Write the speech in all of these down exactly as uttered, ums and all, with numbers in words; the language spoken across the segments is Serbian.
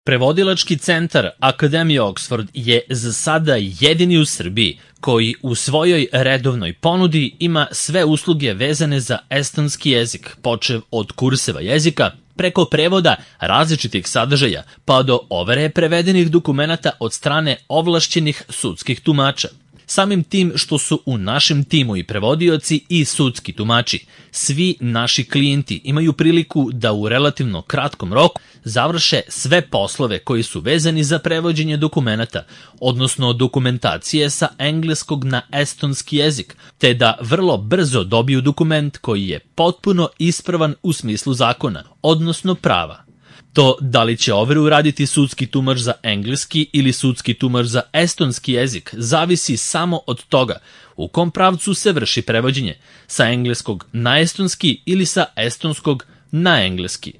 Prevodilački centar Akademije Oxford je za sada jedini u Srbiji koji u svojoj redovnoj ponudi ima sve usluge vezane za estonski jezik, počev od kurseva jezika, preko prevoda različitih sadržaja, pa do overe prevedenih dokumenata od strane ovlašćenih sudskih tumača. Samim tim što su u našem timu i prevodioci i sudski tumači, svi naši klijenti imaju priliku da u relativno kratkom roku završe sve poslove koji su vezani za prevođenje dokumenata, odnosno dokumentacije sa engleskog na estonski jezik, te da vrlo brzo dobiju dokument koji je potpuno ispravan u smislu zakona, odnosno prava. To da li će overu raditi sudski tumač za engleski ili sudski tumač za estonski jezik zavisi samo od toga u kom pravcu se vrši prevođenje, sa engleskog na estonski ili sa estonskog na engleski.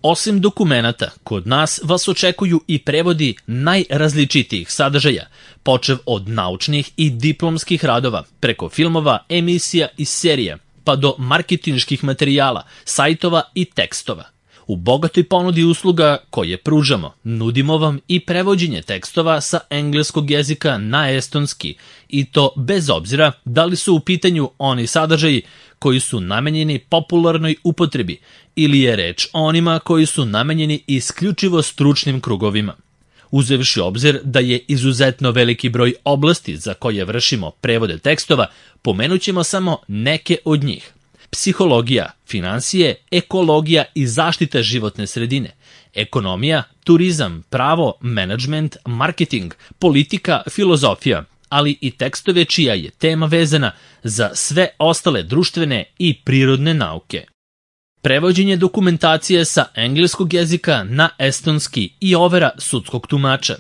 Osim dokumenata, kod nas vas očekuju i prevodi najrazličitijih sadržaja, počev od naučnih i diplomskih radova, preko filmova, emisija i serija, pa do marketinških materijala, sajtova i tekstova. U bogatoj ponudi usluga koje pružamo, nudimo vam i prevođenje tekstova sa engleskog jezika na estonski, i to bez obzira da li su u pitanju oni sadržaji koji su namenjeni popularnoj upotrebi ili je reč o onima koji su namenjeni isključivo stručnim krugovima. Uzevši obzir da je izuzetno veliki broj oblasti za koje vršimo prevode tekstova, pomenut ćemo samo neke od njih. Psihologija, finansije, ekologija i zaštita životne sredine, ekonomija, turizam, pravo, menadžment, marketing, politika, filozofija, ali i tekstove čija je tema vezana za sve ostale društvene i prirodne nauke. Prevođenje dokumentacije sa engleskog jezika na estonski i overa sudskog tumača.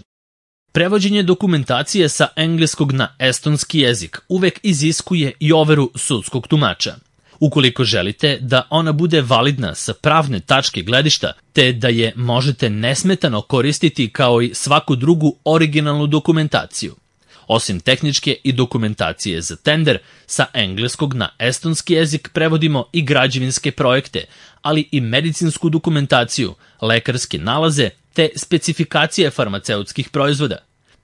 Prevođenje dokumentacije sa engleskog na estonski jezik uvek iziskuje i overu sudskog tumača. Ukoliko želite da ona bude validna sa pravne tačke gledišta, te da je možete nesmetano koristiti kao i svaku drugu originalnu dokumentaciju. Osim tehničke i dokumentacije za tender, sa engleskog na estonski jezik prevodimo i građevinske projekte, ali i medicinsku dokumentaciju, lekarske nalaze te specifikacije farmaceutskih proizvoda.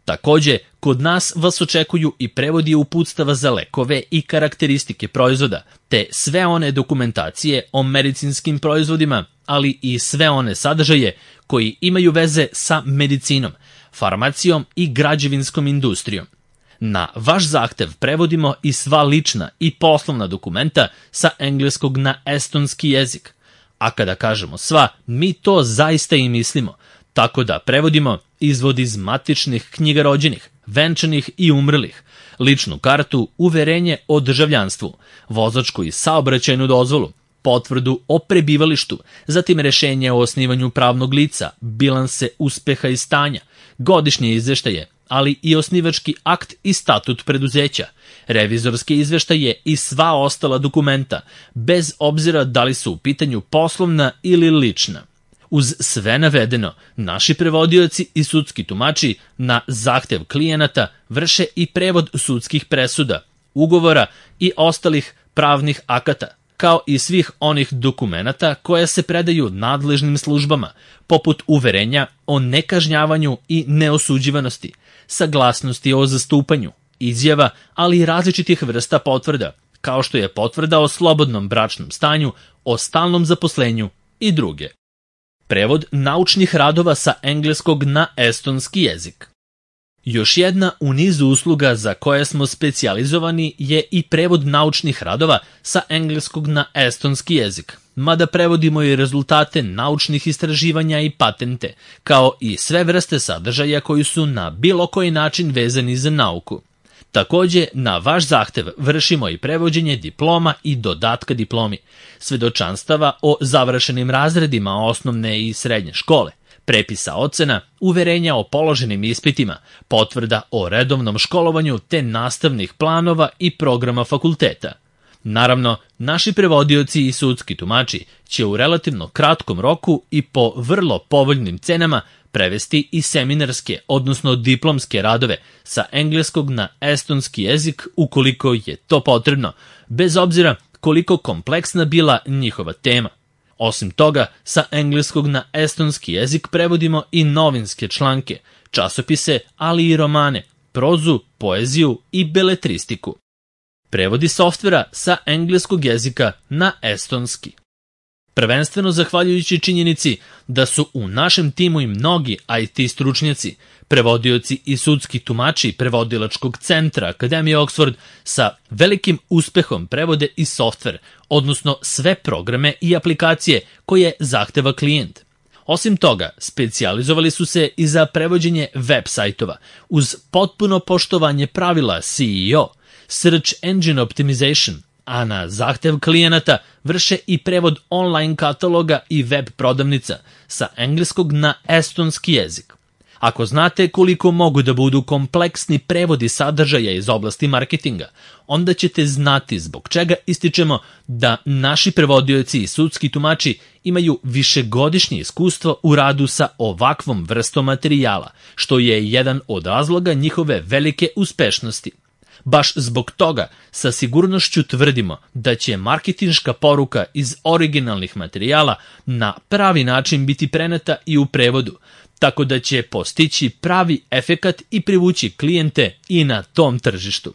Takođe, kod nas vas očekuju i prevodi uputstava za lekove i karakteristike proizvoda, te sve one dokumentacije o medicinskim proizvodima, ali i sve one sadržaje koji imaju veze sa medicinom, farmacijom i građevinskom industrijom. Na vaš zahtev prevodimo i sva lična i poslovna dokumenta sa engleskog na estonski jezik. A kada kažemo sva, mi to zaista i mislimo, tako da prevodimo izvod iz matičnih knjiga rođenih, venčanih i umrlih, ličnu kartu, uverenje o državljanstvu, vozačku i saobraćajnu dozvolu, potvrdu o prebivalištu, zatim rešenje o osnivanju pravnog lica, bilanse uspeha i stanja, godišnje izveštaje, ali i osnivački akt i statut preduzeća, revizorske izveštaje i sva ostala dokumenta, bez obzira da li su u pitanju poslovna ili lična. Uz sve navedeno, naši prevodioci i sudski tumači na zahtev klijenata vrše i prevod sudskih presuda, ugovora i ostalih pravnih akata, kao i svih onih dokumenata koja se predaju nadležnim službama, poput uverenja o nekažnjavanju i neosuđivanosti, saglasnosti o zastupanju, izjava, ali i različitih vrsta potvrda, kao što je potvrda o slobodnom bračnom stanju, o stalnom zaposlenju i druge. Prevod naučnih radova sa engleskog na estonski jezik. Još jedna u nizu usluga za koje smo specijalizovani je i prevod naučnih radova sa engleskog na estonski jezik, mada prevodimo i rezultate naučnih istraživanja i patente, kao i sve vrste sadržaja koji su na bilo koji način vezani za nauku. Takođe, na vaš zahtev vršimo i prevođenje diploma i dodatka diplomi, svedočanstava o završenim razredima osnovne i srednje škole, prepisa ocena, uverenja o položenim ispitima, potvrda o redovnom školovanju te nastavnih planova i programa fakulteta. Naravno, naši prevodioci i sudski tumači će u relativno kratkom roku i po vrlo povoljnim cenama prevesti i seminarske, odnosno diplomske radove sa engleskog na estonski jezik ukoliko je to potrebno, bez obzira koliko kompleksna bila njihova tema. Osim toga, sa engleskog na estonski jezik prevodimo i novinske članke, časopise, ali i romane, prozu, poeziju i beletristiku. Prevodi softvera sa engleskog jezika na estonski. Prvenstveno zahvaljujući činjenici da su u našem timu i mnogi I T stručnjaci, prevodioci i sudski tumači prevodilačkog centra Akademije Oxford sa velikim uspehom prevode i softver, odnosno sve programe i aplikacije koje zahteva klijent. Osim toga, specijalizovali su se i za prevođenje web sajtova, uz potpuno poštovanje pravila S E O, Search Engine Optimization, a na zahtev klijenata vrše i prevod online kataloga i web prodavnica sa engleskog na estonski jezik. Ako znate koliko mogu da budu kompleksni prevodi sadržaja iz oblasti marketinga, onda ćete znati zbog čega ističemo da naši prevodioci i sudski tumači imaju višegodišnje iskustvo u radu sa ovakvom vrstom materijala, što je jedan od razloga njihove velike uspešnosti. Baš zbog toga sa sigurnošću tvrdimo da će marketinška poruka iz originalnih materijala na pravi način biti preneta i u prevodu, tako da će postići pravi efekat i privući klijente i na tom tržištu.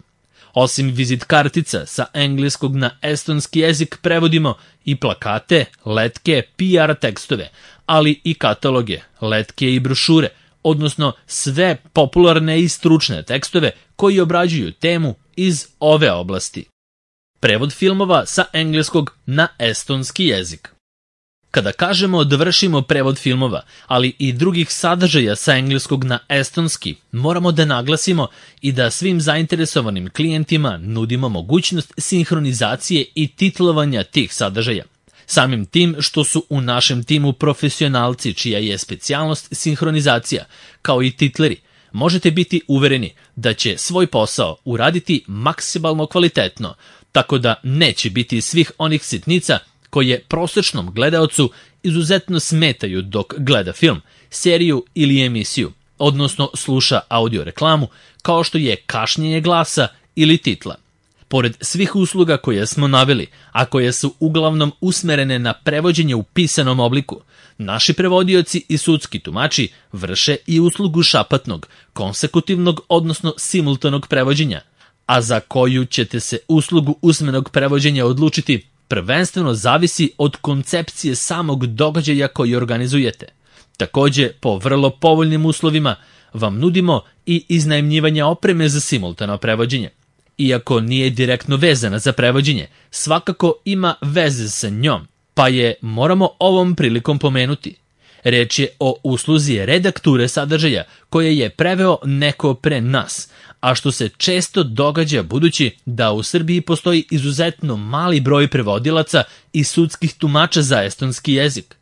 Osim vizit kartica sa engleskog na estonski jezik prevodimo i plakate, letke, P R tekstove, ali i kataloge, letke i brošure, odnosno sve popularne i stručne tekstove koji obrađuju temu iz ove oblasti. Prevod filmova sa engleskog na estonski jezik. Kada kažemo da vršimo prevod filmova, ali i drugih sadržaja sa engleskog na estonski, moramo da naglasimo i da svim zainteresovanim klijentima nudimo mogućnost sinhronizacije i titlovanja tih sadržaja. Samim tim što su u našem timu profesionalci čija je specijalnost sinhronizacija, kao i titleri, možete biti uvereni da će svoj posao uraditi maksimalno kvalitetno, tako da neće biti svih onih sitnica koje prosečnom gledaocu izuzetno smetaju dok gleda film, seriju ili emisiju, odnosno sluša audio reklamu, kao što je kašnjenje glasa ili titla. Pored svih usluga koje smo naveli, a koje su uglavnom usmerene na prevođenje u pisanom obliku, naši prevodioci i sudski tumači vrše i uslugu šapatnog, konsekutivnog, odnosno simultanog prevođenja, a za koju ćete se uslugu usmenog prevođenja odlučiti prvenstveno zavisi od koncepcije samog događaja koji organizujete. Takođe, po vrlo povoljnim uslovima vam nudimo i iznajmljivanje opreme za simultano prevođenje. Iako nije direktno vezana za prevođenje, svakako ima veze sa njom, pa je moramo ovom prilikom pomenuti. Reč je o usluzi redakture sadržaja koje je preveo neko pre nas, a što se često događa budući da u Srbiji postoji izuzetno mali broj prevodilaca i sudskih tumača za estonski jezik.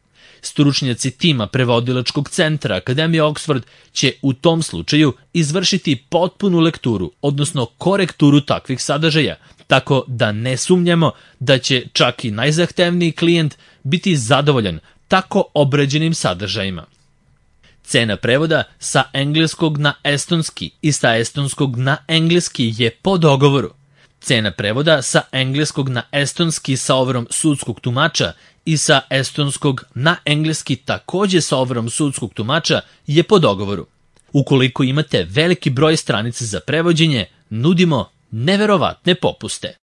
Stručnjaci tima prevodilačkog centra Akademije Oxford će u tom slučaju izvršiti potpunu lekturu, odnosno korekturu takvih sadržaja, tako da ne sumnjamo da će čak i najzahtevniji klijent biti zadovoljan tako obrađenim sadržajima. Cena prevoda sa engleskog na estonski i sa estonskog na engleski je po dogovoru. Cena prevoda sa engleskog na estonski sa overom sudskog tumača i sa estonskog na engleski takođe sa overom sudskog tumača je po dogovoru. Ukoliko imate veliki broj stranica za prevođenje, nudimo neverovatne popuste.